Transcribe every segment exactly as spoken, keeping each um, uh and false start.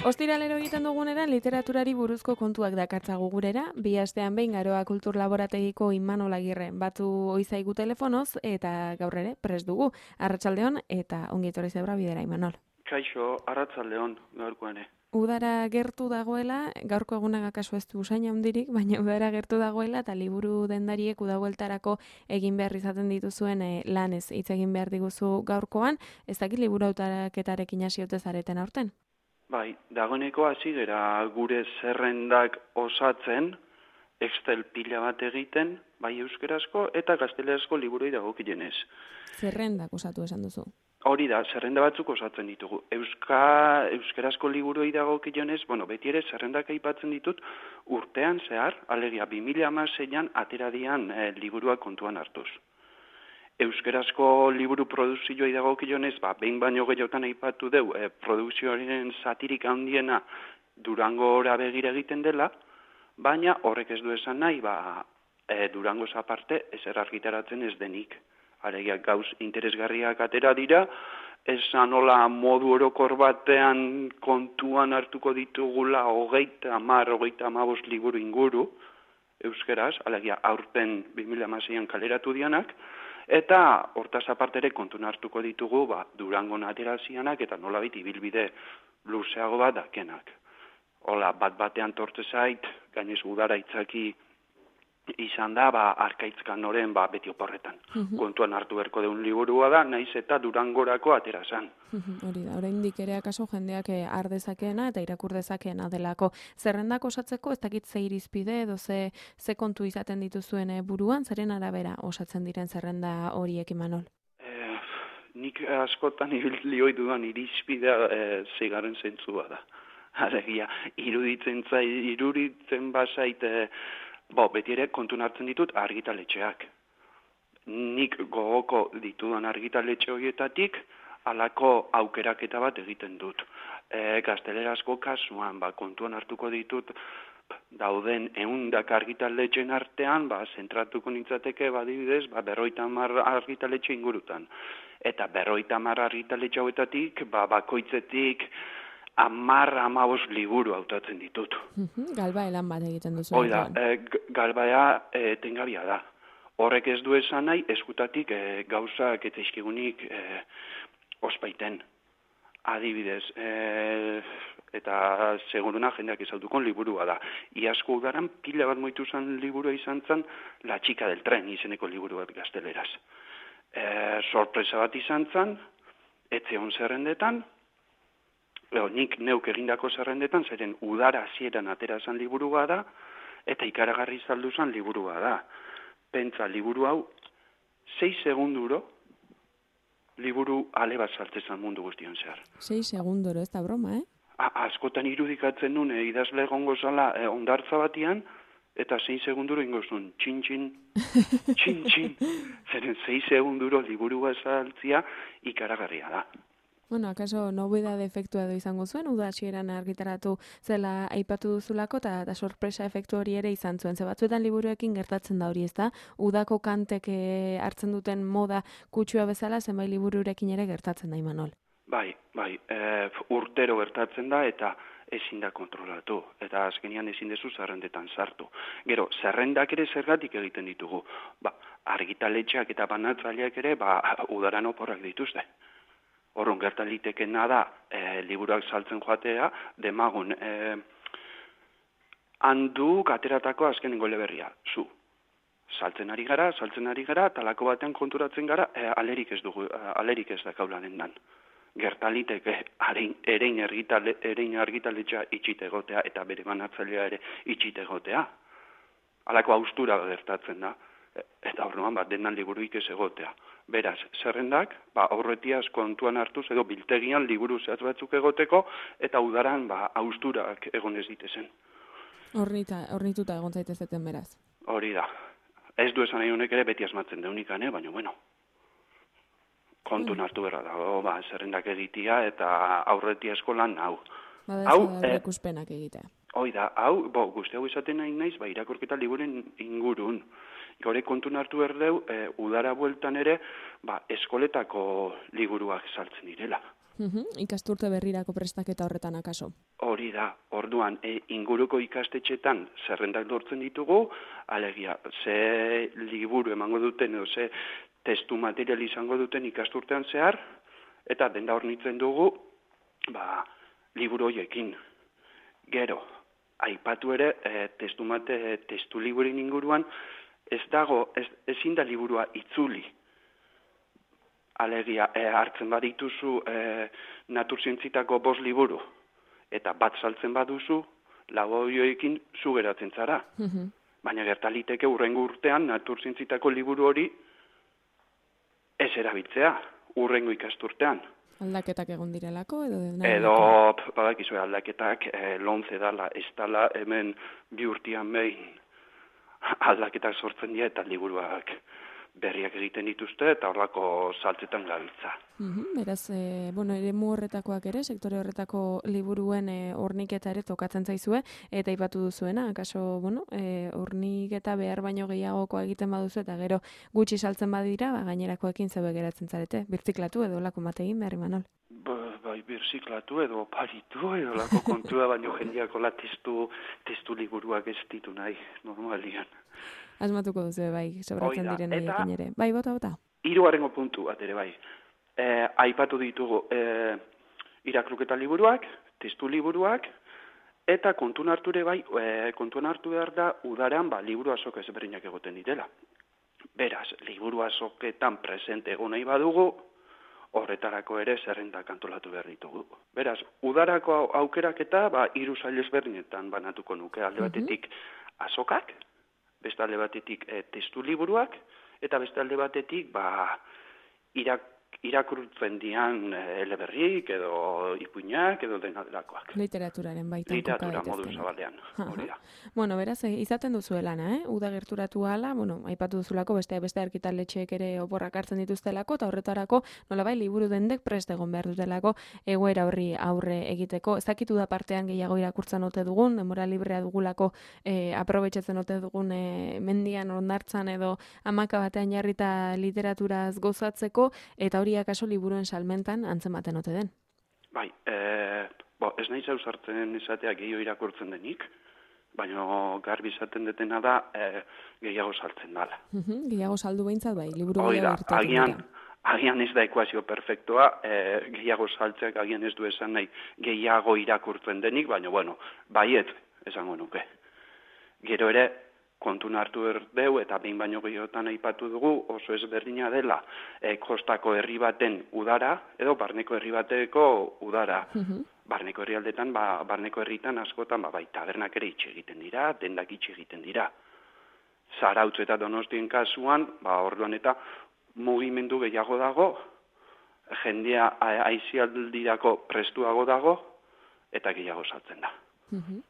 Ostiralero egiten duguneran literaturari buruzko kontuak dakartzagu gurera, bi astean behin Garoa Kultur Laborategiko Imanol Agirre batu oizaigu telefonoz eta gaur ere prest dugu. Arratsaldeon eta ongi etorri zebra bidera Imanol. Kaixo, arratsaldeon gaurkoan ere. Udara gertu dagoela, gaurko egunak akaso ez du usain handirik, baina udara gertu dagoela eta liburu dendariek udabueltarako egin behar izaten dituzuen e, lanez hitz egin behar diguzu gaurkoan, ez dakit liburu hautaketarekin hasi ote zareten aurten? Bai, dagoeneko hasi gera gure zerrendak osatzen, Excel pila bat egiten, bai euskarazko eta gaztelerazko liburui dagokienez. Zerrendak osatu esan duzu. Hori da, zerrenda batzuk osatzen ditugu. Euska, euskarazko liburuei dagokionez, bueno, beti ere zerrendak aipatzen ditut urtean zehar, alegia bi mila hamaseian ateradian e, liburuak kontuan hartuz. Euskarazko liburu produzioei dagokionez, ba, behin baino gehiotan aipatu deu, e, produzioaren zatirik handiena Durangora begira egiten dela, baina horrek ez du esan nahi, ba, e, Durangoz aparte ezer argitaratzen ez denik. Alegia gauz interesgarriak atera dira, esan hola modu orokor batean kontuan hartuko ditugula hogeita hamar, hogeita hamabost liburu inguru, euskeraz, alegia aurten bi mila hamaseian kaleratu dianak, eta hortaz aparte ere kontuan hartuko ditugu ba, Durangon aterazianak eta nolabait ibilbide luzeago bat dakenak. Hola, bat batean tortze zait, gainez udara itzaki izan da, ba, arkaitzkan noren, ba, beti oporretan. Uh-huh. Kontuan hartu berko deun liburua da, naiz eta Durangorako aterazan. Uh-huh. Hori da, oraindik ere akaso jendeak har dezakeena eta irakur dezakeena delako. Zerrendak osatzeko, ez dakit ze irizpide edo ze, ze kontu izaten dituzuen buruan, zeren arabera osatzen diren zerrenda horiek Imanol? Eh, nik askotan lioi dudan irizpidea eh, zeigarren zentzua da. Alegia, iruditzen zai, iruditzen bazait, eh, Bo, beti ere kontun hartzen ditut argitaletxeak. Nik gogoko ditudan argitaletxe horietatik halako aukeraketa bat egiten dut. E, gaztelerazko kasuan, ba, kontuan hartuko ditut dauden ehundak argitaletxen artean, ba, zentratuko nintzateke badibidez, ba, berroita hamar argitaletxe ingurutan. Eta berroita hamar argitaletxe hauetatik, ba, bakoitzetik Amar, amabos liburu hautatzen ditut. Galba elan bat egiten duzu. Oida, e, galbaea e, tengabia da. Horrek ez du esan nahi, eskutatik e, gauzak eta izkigunik e, ospaiten. Adibidez, e, eta seguruna jendeak ezautukon liburua da. Iazko udaran pila bat moitu zen liburua izan zen La Chica del Tren izeneko liburu bat gazteleraz. E, sorpresa bat izan zen, etze on zerrendetan, Eo, nik neuk egindako zerrendetan, zeren udara hasieran aterazan liburua da, eta ikaragarri zalduzan liburua da. Pentsa, liburu hau, sei segunduro, liburu ale bat saltzezan mundu guztion zehar. Sei segunduro, ez da broma, eh? A, askotan irudikatzen nun, e, idazle egongo zala e, ondartza batian, eta sei segunduro ingozun, txin-txin, txin-txin. Zeren sei segunduro liburu bat saltzia ikaragarria da. Bueno, akaso nobedade efektua edo izango zuen, uda hasieran argitaratu zela aipatu duzulako, eta da sorpresa efektu hori ere izan zuen. Ze batzuetan liburuekin gertatzen da hori, ez da? Udako kantek hartzen duten moda kutsua bezala, zenbait libururekin ere gertatzen da, Imanol. Bai, bai, e, urtero gertatzen da, eta ezin da kontrolatu, eta azkenian ezin dezu zerrendetan sartu. Gero, zerrendak ere zergatik egiten ditugu. Ba, argitaletxeak eta banatzaileak ere, ba, udaran oporrak dituzte. Horren gertan litekena da, e, liburuak saltzen joatea, demagun, e, handuk ateratako azkenengo eleberria, zu. Saltzen ari gara, saltzen ari gara, talako batean konturatzen gara, e, alerik ez dugu, alerik ez da kaula dendan. Gertan liteke, erein argitale, erein argitaletxea itxite egotea, eta bere banatzailea ere itxite egotea. Halako haustura gertatzen da, eta horrean bat dendan liburuik ez egotea. Beraz, zerrendak, ba, aurretiaz kontuan hartuz edo biltegian liburu zehatz batzuk egoteko, eta udaran, ba, hausturak egon ez ditezen. Hornita, hornituta egon zaitezeten beraz. Hori da. Ez du esan nahi honek ere beti asmatzen deunikan, eh? Baina, bueno, kontun mm. hartu berra da, o, ba, zerrendak egitea eta aurretiazko lan hau. Bada ez da berrekuspenak egitea. Hoi da, hau, bo, guzti hau izaten nahi naiz, ba, irakurketa liburen ingurun. Gaure kontun hartu berdeu, e, udara bueltan ere, ba, eskoletako liburuak saltzen direla. Uhum, ikasturte berrirako prestaketa horretan akaso. Hori da, orduan, e, inguruko ikastetxetan zerrendak lortzen ditugu, alegia, ze liburu emango duten, edo ze testu material izango duten ikasturtean zehar, eta denda hornitzen dugu, ba, liburu horiekin. Gero, aipatu ere, e, testu mate, testu liburin inguruan, ez dago, ez, ezin da liburua itzuli. Alegia, e, hartzen badituzu e, naturzientzitako bost liburu, eta bat saltzen baduzu, lau horiekin zu geratzen zara. Mhm. Baina gertaliteke urrengo urtean naturzientzitako liburu hori ez erabiltzea, urrengo ikasturtean. Aldaketak egon direlako edo... Edo, badakizue aldaketak, e, lonze dala, ez dala, hemen bi urtean behin aldaketak sortzen dira eta liburuak berriak egiten dituzte eta horrako saltzetan gabiltza. Uhum, beraz, e, bueno, eremu horretakoak ere, sektore horretako liburuen e, horniketa ere tokatzen zaizue, eta aipatu duzuena, akaso, bueno, e, horniketa behar baino gehiagokoa egiten baduzu, eta gero gutxi saltzen badira, ba, gainerakoekin zebe geratzen zarete, birziklatu edo lako mategin behar imanol. Ba, bai, birziklatu edo paritu edo lako kontua, baino jendeako la testu, testu liburuak ez ditu nahi, normalian. Asmatuko duzu, bai, sobratzen Oida, diren eta... horiekin ere. Bai, bota, bota. Hirugarrengo puntu bat ere, bai. E, aipatu ditugu e, irakurketa liburuak, testu liburuak, eta kontun hartu ere bai, e, kontun hartu behar da udaran ba, liburu azok ezberdinak egoten ditela. Beraz, liburu azoketan presente egon nahi badugu, horretarako ere zerrendak antolatu behar ditugu. Beraz, udarako aukeraketa ba, hiru sail ezberdinetan banatuko nuke, alde batetik azokak, beste alde batetik e, testu liburuak, eta beste alde batetik ba, irak, irakurtzen dian eleberrik edo ipuinak edo denaderakoak. Literaturaren baitan Literatura modu zabalean, hori da. Bueno, beraz, izaten duzu lana, eh? Uda gerturatu ala, bueno, aipatu duzulako beste beste argitaletxeek ere oporrak hartzen dituztelako, eta horretarako nolabai liburu dendek prest egon behar dutelako egoera horri aurre egiteko. Ez dakitu da partean gehiago irakurtzen ote dugun, denbora librea dugulako eh, aprobetxatzen ote dugun eh, mendian ondartzan edo hamaka batean jarrita literaturaz gozatzeko, eta hori akaso liburuen salmentan antzematen ote den. Bai, e, bo, ez nahi zauzartzen esatea gehiago irakurtzen denik, baina garbi izaten detena da e, gehiago saltzen dala. Uhum, gehiago saldu behintzat bai, liburu Hoi da, gehiago agian, agian ez da ekuazio perfektua, e, gehiago saltzeak agian ez du esan nahi gehiago irakurtzen denik, baina bueno, baiet esango nuke. Gero ere, kontun hartu erdeu eta behin baino gehiotan aipatu dugu oso ezberdina dela e, kostako herri baten udara edo barneko herri bateko udara. Mhm. Barneko herrialdetan, ba, barneko herritan askotan ba, bai tabernak ere itxe egiten dira, dendak itxe egiten dira. Zarautz eta Donostien kasuan, ba, orduan eta mugimendu gehiago dago, jendea aisialdirako prestuago dago eta gehiago saltzen da. Mhm.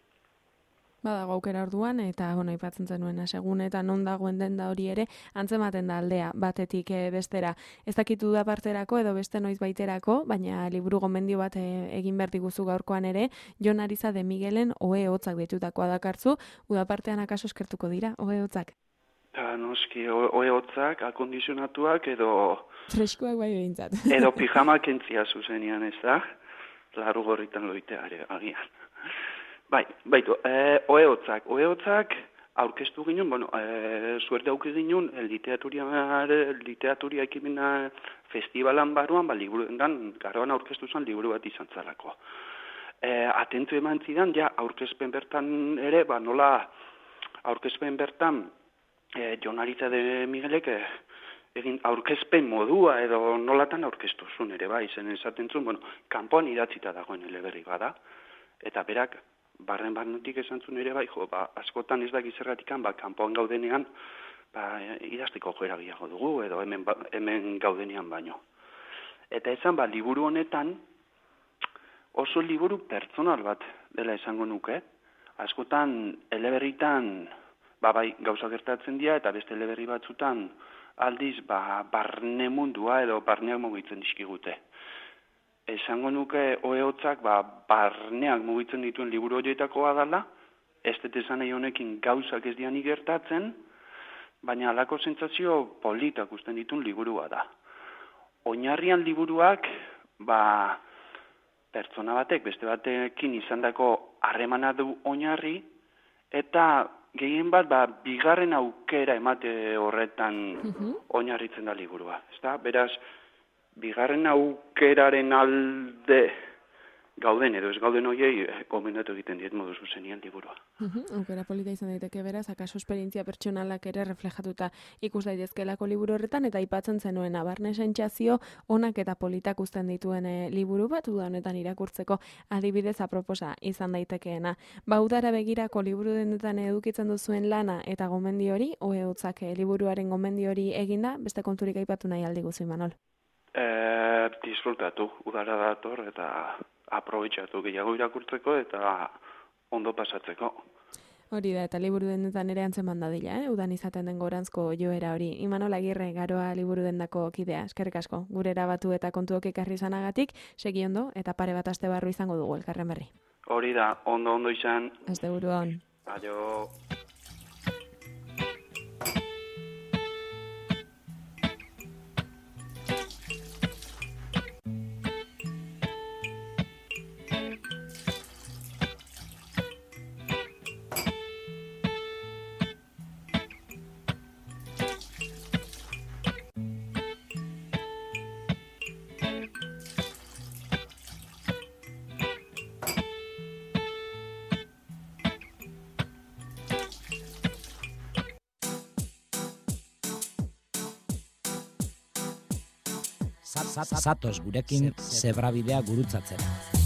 Badago aukera orduan, eta bueno, aipatzen zenuena, segun eta non dagoen denda hori ere, antzematen da aldea, batetik e, bestera. Ez dakitu da parterako edo beste noiz baiterako, baina liburu gomendio bat e, egin behar diguzu gaurkoan ere, Jon Ariza de Miguelen ohe hotzak ditutakoa dakartzu, udapartean akaso eskertuko dira, ohe hotzak? Ta, noski, ohe hotzak, akondizionatuak edo... Freskoak bai behintzat. Edo pijamak entzia zuzenian, ez da? Laru gorritan loiteare, agian. Bai, baitu, e, ohe hotzak, ohe hotzak aurkeztu ginen, bueno, e, suerte auki ginen, literaturia, literaturia ekimena festivalan baruan, ba, liburu dendan, garoan aurkeztu zen liburu bat izan zalako. E, atentu eman zidan, ja, aurkezpen bertan ere, ba, nola, aurkezpen bertan, e, Jon Ariza de Miguelek, e, egin aurkezpen modua edo nolatan aurkeztu zuen ere, bai, zen esaten zuen, bueno, kanpoan idatzita dagoen eleberri bada, eta berak, barren barnetik esan zuen ere bai, jo, ba, askotan ez da gizerratikan, ba, kanpoan gaudenean, ba, idazteko joera gehiago dugu, edo hemen, ba, hemen gaudenean baino. Eta esan, ba, liburu honetan, oso liburu pertsonal bat dela esango nuke, askotan eleberritan, ba, bai, gauza gertatzen dira, eta beste eleberri batzutan, aldiz, ba, barne mundua edo barneak mugitzen dizkigute. Esango nuke ohe hotzak ba, barneak mugitzen dituen liburu horietakoa dela, ez dut esan nahi honekin gauzak ez dianik gertatzen, baina halako sentsazio politak usten dituen liburua da. Oinarrian liburuak, ba, pertsona batek beste batekin izandako harremana du oinarri, eta gehien bat, ba, bigarren aukera emate horretan uh-huh. oinarritzen da liburua. Ezta? Beraz, bigarren aukeraren alde gauden edo ez gauden hoiei gomendatu egiten diet modu zuzenian liburua. Uh-huh. Aukera polita izan daiteke beraz, akaso esperientzia pertsonalak ere reflejatuta ikus daitezkelako liburu horretan, eta aipatzen zenuen abarne sentsazio onak eta politak uzten dituen e, liburu bat, uda honetan irakurtzeko adibidez aproposa izan daitekeena. Ba, udara begirako liburu dendetan edukitzen duzuen lana eta gomendi hori, oe utzak e, liburuaren gomendi hori eginda, beste konturik aipatu nahi aldi guzu, Imanol? E, disfrutatu, udara dator eta aprobetxatu gehiago irakurtzeko eta ondo pasatzeko. Hori da, eta liburu dendetan ere antzeman dadila, eh? Udan izaten den gorantzko joera hori. Imanol Agirre, Garoa liburu dendako kidea, eskerrik asko. Gure erabatu eta kontuok ekarri izanagatik, segi ondo eta pare bat aste barru izango dugu elkarren berri. Hori da, ondo ondo izan. Aste buruan. Aio. Zatoz gurekin zebrabidea gurutzatzera.